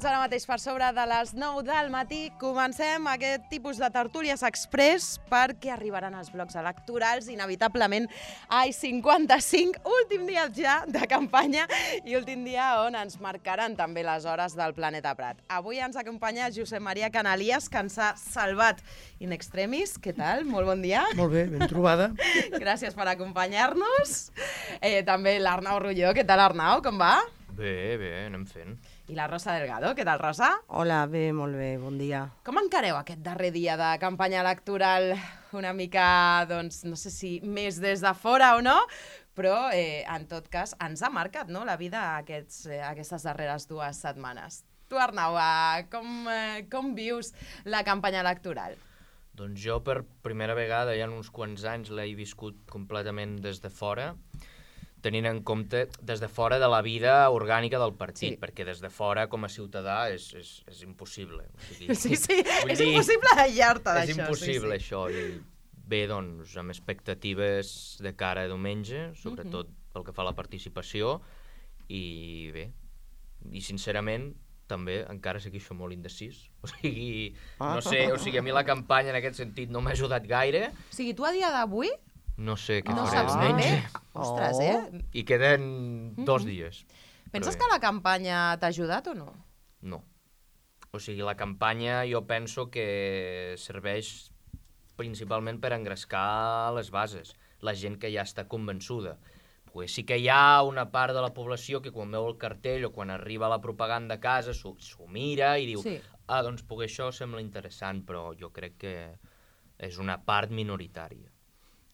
minuts ara mateix per sobre de les 9 del matí. Comencem aquest tipus de tertúlies express perquè arribaran els blocs electorals, inevitablement AI-55, últim dia ja de campanya i últim dia on ens marcaran també les hores del Planeta Prat. Avui ens acompanya Josep Maria Canalies, que ens ha salvat in extremis. Què tal? Molt bon dia. Molt bé, ben trobada. Gràcies per acompanyar-nos. També l'Arnau Rulló. Què tal, Arnau? Com va? Bé, anem fent. I la Rosa Delgado. Què tal, Rosa? Hola, bé, molt bé, bon dia. Com encareu aquest darrer dia de campanya electoral? Una mica, doncs, no sé si més des de fora o no, però, en tot cas, ens ha marcat, no?, la vida aquestes darreres 2 setmanes. Tu, Arnau, com vius la campanya electoral? Doncs jo per primera vegada, ja en uns quants anys, l'he viscut completament des de fora, tenint en compte des de fora de la vida orgànica del partit, perquè des de fora, com a ciutadà, és impossible. O sigui, sí, és impossible aïllar-te d'això. És impossible, això. I bé, doncs, amb expectatives de cara a diumenge, sobretot pel que fa a la participació, i bé, i sincerament, també encara segueixo molt indecís. O sigui, no sé, a mi la campanya en aquest sentit no m'ha ajudat gaire. O sigui, tu a dia d'avui no sé què no faré saps diumenge. Ostres, I queden 2 dies. Penses que la campanya t'ha ajudat o no? No. O sigui, la campanya jo penso que serveix principalment per engrescar les bases, la gent que ja està convençuda. Pues sí que hi ha una part de la població que quan veu el cartell o quan arriba la propaganda a casa s'ho mira i diu doncs poder això sembla interessant, però jo crec que és una part minoritària.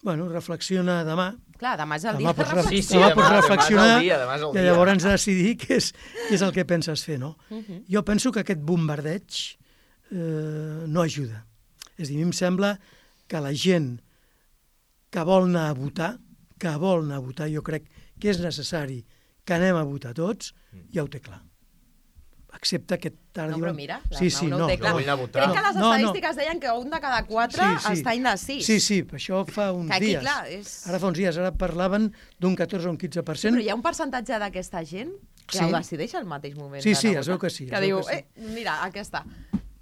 Bueno, reflexiona demà. Clar, demà és el dia de reflexió. Demà pots reflexionar i llavors decidir què és el que penses fer, no? Jo penso que aquest bombardeig no ajuda. És a dir, a mi em sembla que la gent que vol anar a votar, jo crec que és necessari que anem a votar tots, ja ho té clar. Excepte que ara diuen... No, però mira, no ho té clar. Crec que les estadístiques deien que un de cada 4 està indecís. Sí, això fa uns dies. Ara fa uns dies, ara parlaven d'un 14 o un 15%. Però hi ha un percentatge d'aquesta gent que ho decideix al mateix moment. Sí, es veu que sí. Que diu, mira, aquesta.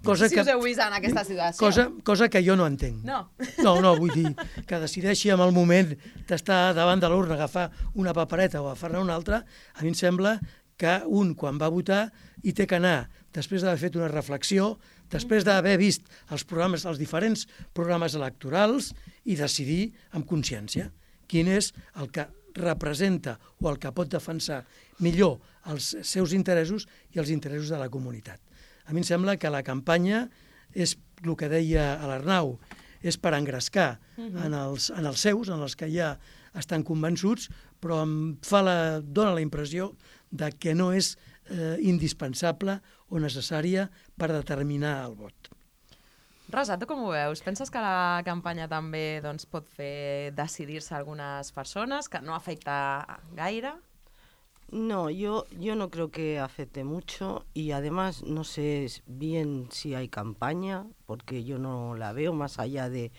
No sé si us heu vist en aquesta situació. Cosa que jo no entenc. No, vull dir, que decideixi en el moment d'estar davant de l'urna, agafar una papereta o agafar-ne una altra, a mi em sembla que un, quan va votar, hi té que anar, després d'haver fet una reflexió, després d'haver vist els diferents programes electorals i decidir amb consciència quin és el que representa o el que pot defensar millor els seus interessos i els interessos de la comunitat. A mi em sembla que la campanya és el que deia l'Arnau, és per engrescar en els seus, en els que ja estan convençuts, però dona la impressió de que no és indispensable o necessària per determinar el vot. Rosa, tu com ho veus? Penses que la campanya també pot fer decidir-se algunes persones, que no afecta gaire? No, yo no creo que afecte mucho y además no sé bien si hay campaña, porque yo no la veo más allá de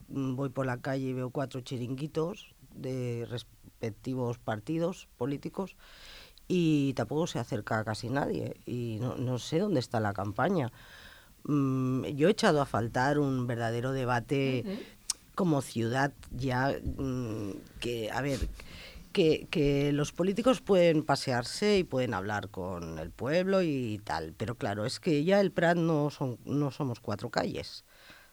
voy por la calle y veo 4 chiringuitos de respectivos partidos políticos y tampoco se acerca casi nadie y no sé dónde está la campaña. Yo he echado a faltar un verdadero debate como ciudad ya que, a ver... Que los políticos pueden pasearse y pueden hablar con el pueblo y tal, pero claro, es que ya el Prat no somos 4 calles,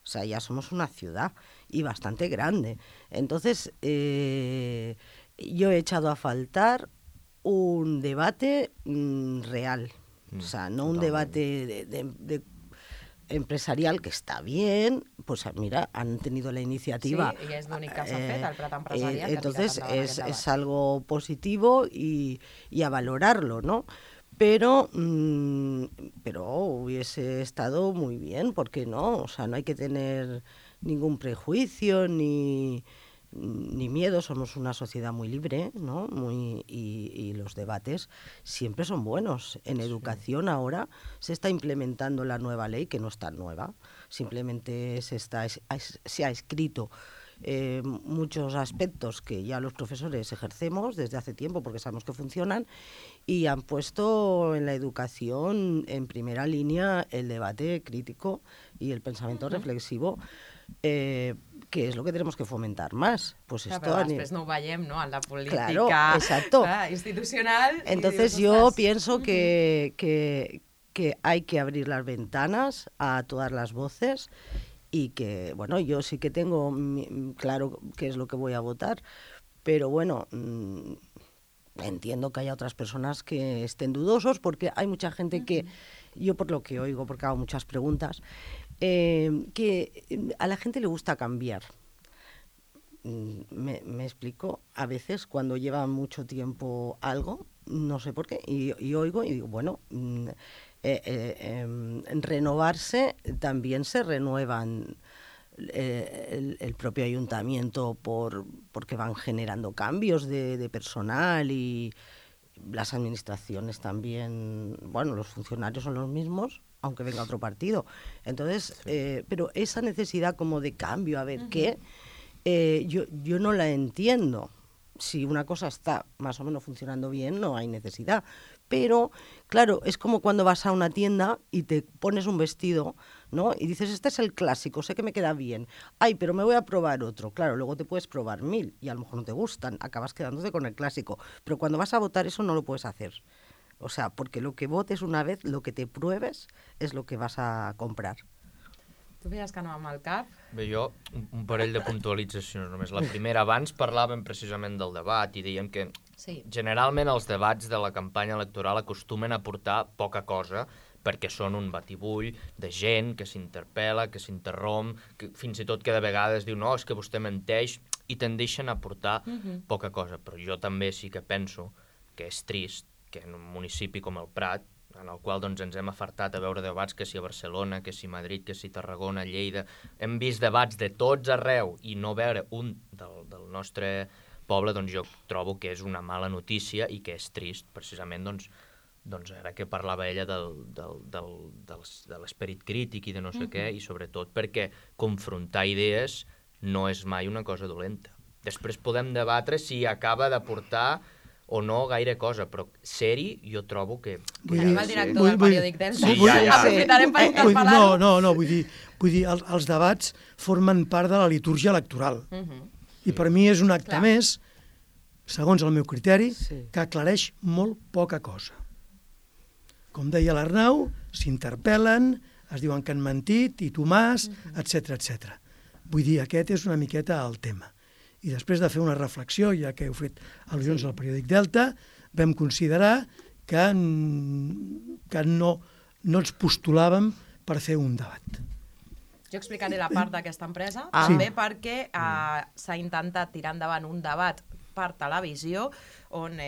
o sea, ya somos una ciudad y bastante grande. Entonces, yo he echado a faltar un debate real, o sea, no un debate de empresarial, que está bien, pues mira, han tenido la iniciativa. Sí, i és l'únic que s'ha fet, el Prat empresarial. Entonces es algo positivo y a valorarlo, ¿no? Pero hubiese estado muy bien, ¿por qué no? O sea, no hay que tener ningún prejuicio ni miedo, somos una sociedad muy libre, ¿no? Y los debates siempre son buenos. En educación ahora se está implementando la nueva ley, que no es tan nueva, simplemente se ha escrito muchos aspectos que ya los profesores ejercemos desde hace tiempo porque sabemos que funcionan, y han puesto en la educación en primera línea el debate crítico y el pensamiento reflexivo, que és el que tenemos que fomentar más. Pues esto però després no ho veiem, ¿no? En la política institucional. Entonces yo pienso que hay que abrir las ventanas a todas las voces y que, bueno, yo sí que tengo claro qué es lo que voy a votar, pero bueno, entiendo que haya otras personas que estén dudosos porque hay mucha gente que, yo por lo que oigo, porque hago muchas preguntas, que a la gente le gusta cambiar. Me explico, a veces cuando lleva mucho tiempo algo, no sé por qué, y oigo y digo, bueno, renovarse también se renuevan el propio ayuntamiento porque van generando cambios de personal y las administraciones también, bueno, los funcionarios son los mismos, aunque venga otro partido. Entonces, pero esa necesidad como de cambio, a ver qué, yo no la entiendo. Si una cosa está más o menos funcionando bien, no hay necesidad. Pero, claro, es como cuando vas a una tienda y te pones un vestido, ¿no? Y dices, este es el clásico, sé que me queda bien. Ay, pero me voy a probar otro. Claro, luego te puedes probar 1000 y a lo mejor no te gustan, acabas quedándote con el clásico. Pero cuando vas a votar eso no lo puedes hacer. O sea, porque lo que votes una vez, lo que te pruebes, és lo que vas a comprar. Tu feies que no amb el cap? Bé, jo, un parell de puntualitzacions només. La primera, abans parlàvem precisament del debat i dèiem que generalment els debats de la campanya electoral acostumen a portar poca cosa perquè són un batibull de gent que s'interpel·la, que s'interromp, que fins i tot que de vegades diu no, és que vostè menteix, i tendeixen a portar poca cosa. Però jo també sí que penso que és trist que en un municipi com el Prat, en el qual doncs, ens hem afartat a veure debats que si a Barcelona, que si a Madrid, que si a Tarragona, a Lleida, hem vist debats de tots arreu i no veure un del nostre poble, doncs jo trobo que és una mala notícia i que és trist, precisament doncs ara que parlava ella de l'esperit crític i de no sé què, i sobretot perquè confrontar idees no és mai una cosa dolenta. Després podem debatre si acaba de portar o no gaire cosa, però ser-hi jo trobo que... Tenim el director del periòdic Delta. Aprofitarem per interpel·lar-ho. No, vull dir, els debats formen part de la litúrgia electoral. I per mi és un acte més, segons el meu criteri, que aclareix molt poca cosa. Com deia l'Arnau, s'interpel·len, es diuen que han mentit, i Tomàs, etc. Vull dir, aquest és una miqueta el tema. I després de fer una reflexió, ja que heu fet al·lusions al periòdic Delta, vam considerar que no ens postulàvem per fer un debat. Jo explicaré la part d'aquesta empresa, també perquè s'ha intentat tirar endavant un debat per televisió on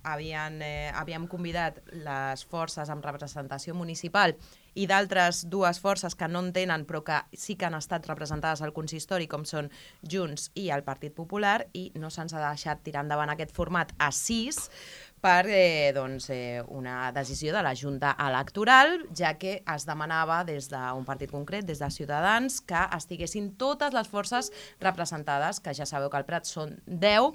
havíem convidat les forces amb representació municipal i d'altres dues forces que no en tenen però que sí que han estat representades al consistori, com són Junts i el Partit Popular, i no se'ns ha deixat tirar endavant aquest format a 6 per una decisió de la Junta Electoral, ja que es demanava des d'un partit concret, des de Ciutadans, que estiguessin totes les forces representades, que ja sabeu que al Prat són 10,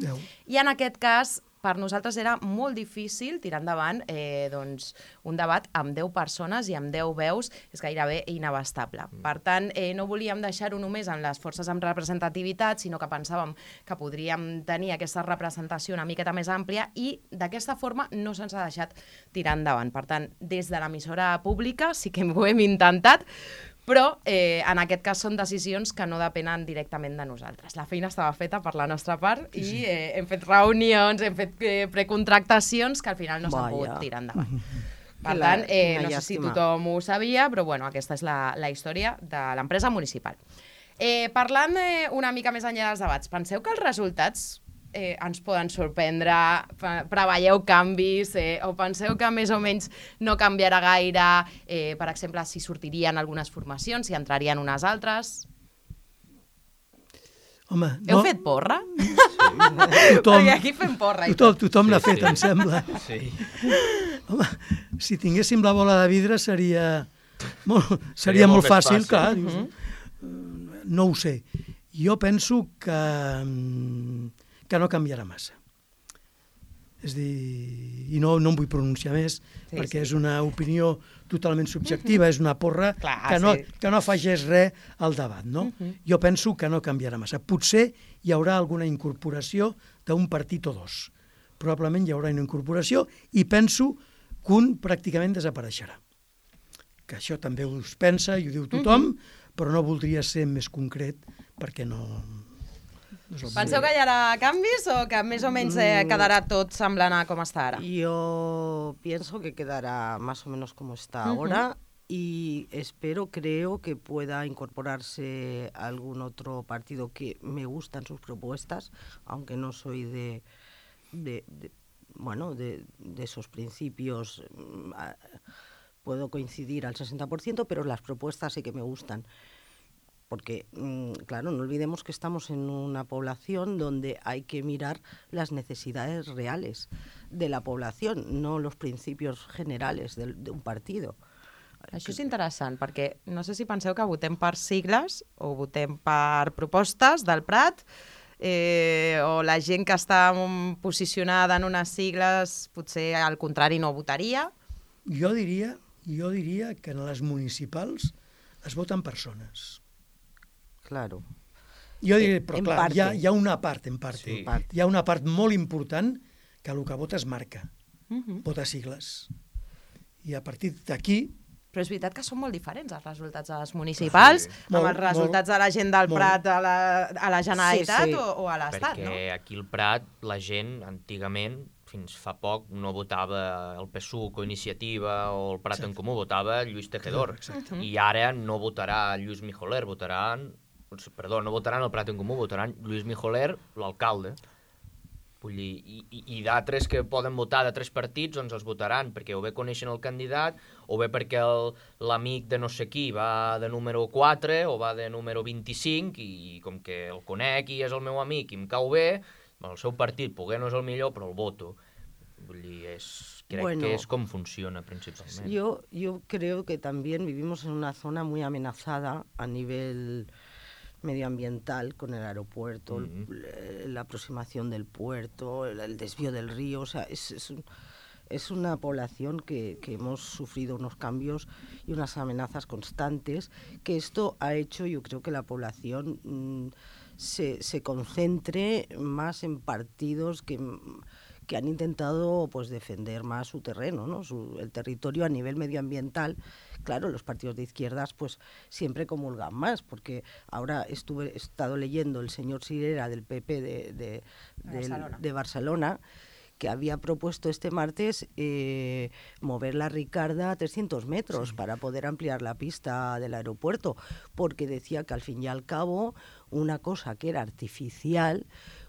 i en aquest cas per nosaltres era molt difícil tirar endavant un debat amb 10 persones i amb 10 veus, és gairebé inabastable. Per tant, no volíem deixar-ho només en les forces amb representativitat, sinó que pensàvem que podríem tenir aquesta representació una miqueta més àmplia i d'aquesta forma no se'ns ha deixat tirar endavant. Per tant, des de l'emissora pública sí que ho hem intentat, però en aquest cas són decisions que no depenen directament de nosaltres. La feina estava feta per la nostra part i hem fet reunions, hem fet precontractacions que al final no s'han pogut tirar endavant. Per tant, no sé si tothom ho sabia, però bueno, aquesta és la història de l'empresa municipal. Parlant una mica més enllà dels debats, penseu que els resultats ens poden sorprendre, preveieu canvis o penseu que més o menys no canviarà gaire, per exemple, si sortirien algunes formacions, si entrarien unes altres? Home, heu fet porra? Sí. Perquè aquí fem porra. Tothom l'ha fet, em sembla. Sí. Home, si tinguéssim la bola de vidre seria molt fàcil, clar. No ho sé. Jo penso que no canviarà massa. És a dir, i no em vull pronunciar més, perquè és una opinió totalment subjectiva, és una porra que no afegeix res al debat, no? Jo penso que no canviarà massa. Potser hi haurà alguna incorporació d'un partit o dos. Probablement hi haurà una incorporació i penso que un pràcticament desapareixerà. Que això també us pensa i ho diu tothom, però no voldria ser més concret perquè no... Penseu que hi haurà canvis o que més o menys quedarà tot semblant a com està ara? Yo pienso que quedará más o menos como está ahora y creo que pueda incorporarse algún otro partido que me gustan sus propuestas, aunque no soy de esos principios. Puedo coincidir al 60%, pero las propuestas sí que me gustan. Porque, claro, no olvidemos que estamos en una población donde hay que mirar las necesidades reales de la población, no los principios generales de un partido. Això és interessant, perquè no sé si penseu que votem per sigles o votem per propostes del Prat, o la gent que està posicionada en unes sigles potser al contrari no votaria. Jo diria que en les municipals es voten persones. Claro. Jo diré, però clar, hi ha una part, hi ha una part molt important que el que vota es marca, vota sigles. I a partir d'aquí... Però és veritat que són molt diferents els resultats de les municipals amb els resultats de la gent del Prat a la Generalitat o a l'Estat, no? Perquè aquí al Prat la gent, antigament, fins fa poc, no votava el PSUC o Iniciativa o el Prat en Comú, votava Lluís Tejedor. I ara no votarà Lluís Mijoler, no votaran el Prat en Comú, votaran Lluís Mijoler, l'alcalde. Vull dir, i d'altres que poden votar de 3 partits, doncs els votaran, perquè o bé coneixen el candidat, o bé perquè l'amic de no sé qui va de número 4 o va de número 25, i com que el conec i és el meu amic i em cau bé, el seu partit poder no és el millor, però el voto. Vull dir, crec que és com funciona principalment. Yo creo que también vivimos en una zona muy amenazada a nivel medioambiental con el aeropuerto, la aproximación del puerto, el desvío del río. O sea, es una población que hemos sufrido unos cambios y unas amenazas constantes, que esto ha hecho, yo creo, que la población se concentre más en partidos que han intentado pues defender más su terreno, ¿no? El territorio a nivel medioambiental. Claro, los partidos de izquierdas pues siempre comulgan más, porque ahora he estado leyendo el señor Sirera del PP de Barcelona, que había propuesto este martes mover la Ricarda a 300 metros para poder ampliar la pista del aeropuerto, porque decía que al fin y al cabo una cosa que era artificial,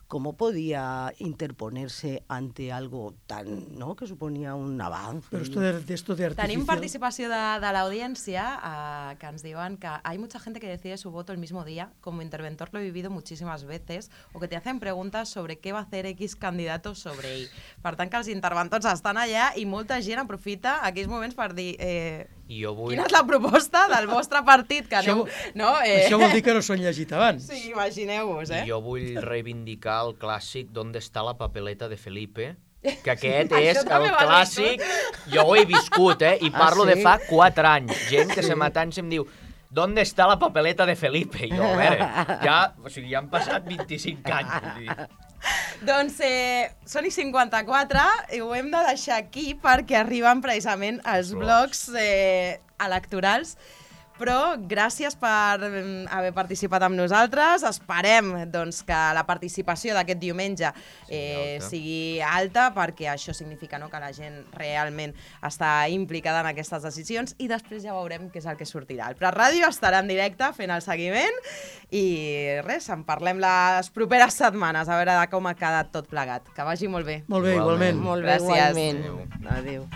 ¿cómo podía interponerse ante algo tan, ¿no?, que suponia un avance? Però esto de artificial... Tenim participació de l'audiència que ens diuen que hay mucha gente que decide su voto el mismo día. Como interventor lo he vivido muchísimas veces, o que te hacen preguntas sobre qué va a hacer X candidato sobre ell. Per tant, que els interventors estan allà i molta gent aprofita aquells moments per dir quina és la proposta del vostre partit. Que això vol dir que no s'ho han llegit abans. Sí, imagineu-vos, Jo vull reivindicar el clàssic ¿Dónde está la papeleta de Felipe? Que aquest és el clàssic. Jo ho he viscut, i parlo de fa 4 anys. Gent que se m'atany i em diu ¿Dónde está la papeleta de Felipe? I jo, a veure, ja han passat 25 anys. Doncs són i 54 i ho hem de deixar aquí perquè arriben precisament els blocs electorals. Però gràcies per haver participat amb nosaltres. Esperem doncs, que la participació d'aquest diumenge sigui alta, perquè això significa que la gent realment està implicada en aquestes decisions, i després ja veurem què és el que sortirà. El Prat Ràdio estarà en directe fent el seguiment i res, en parlem les properes setmanes a veure com ha quedat tot plegat. Que vagi molt bé. Molt bé, igualment. Molt bé, igualment. Adéu.